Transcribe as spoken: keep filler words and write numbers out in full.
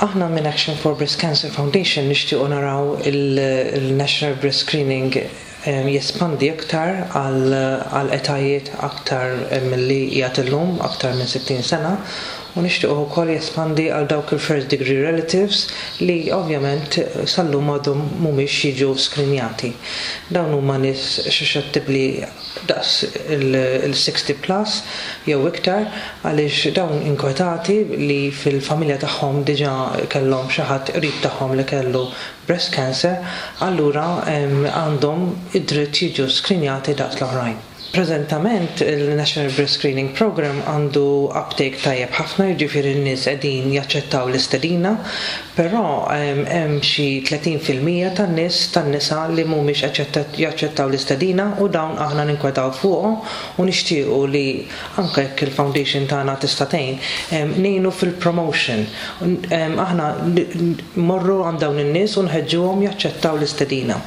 Aħna minn Action for Breast Cancer Foundation nixtiequ naraw il-National Breast Screening jespandi aktar għal etajiet aktar milli qiegħed illum, aktar minn sittin sena, u nixtiequ wkoll jespandi għal dawk il-first degree relatives li ovvjament sal-lum għadhom mhumiex jiġu skrinjati. Dawn huma nies suscettibbli daqs il-sixty plus jew iktar, għaliex dawn inkwetati li fil-familja tagħhom diġà kellhom xi ħadd qrib tagħhom li kellu breast cancer, allura għandhom id-dritt jiġu skrinjati daqs l-oħrajn. Preżentament il-National Breast Screening Program għandu uptake tajjeb ħafna, jiġifieri n-nies qegħdin jaċċettaw l-istedina, però hemm xi tletin fil-mija tan-nies tan-nisa li mhumiex jaċċettaw l-istedina, u dawn aħna ninkwetaw fuqhom u nixtiequ li anke jekk il-foundation tagħna tista' tgħin, ngħinu fil-promotion. Aħna mmorru għand dawn in-nies u nħeġġuhom jaċċettaw l-istedina.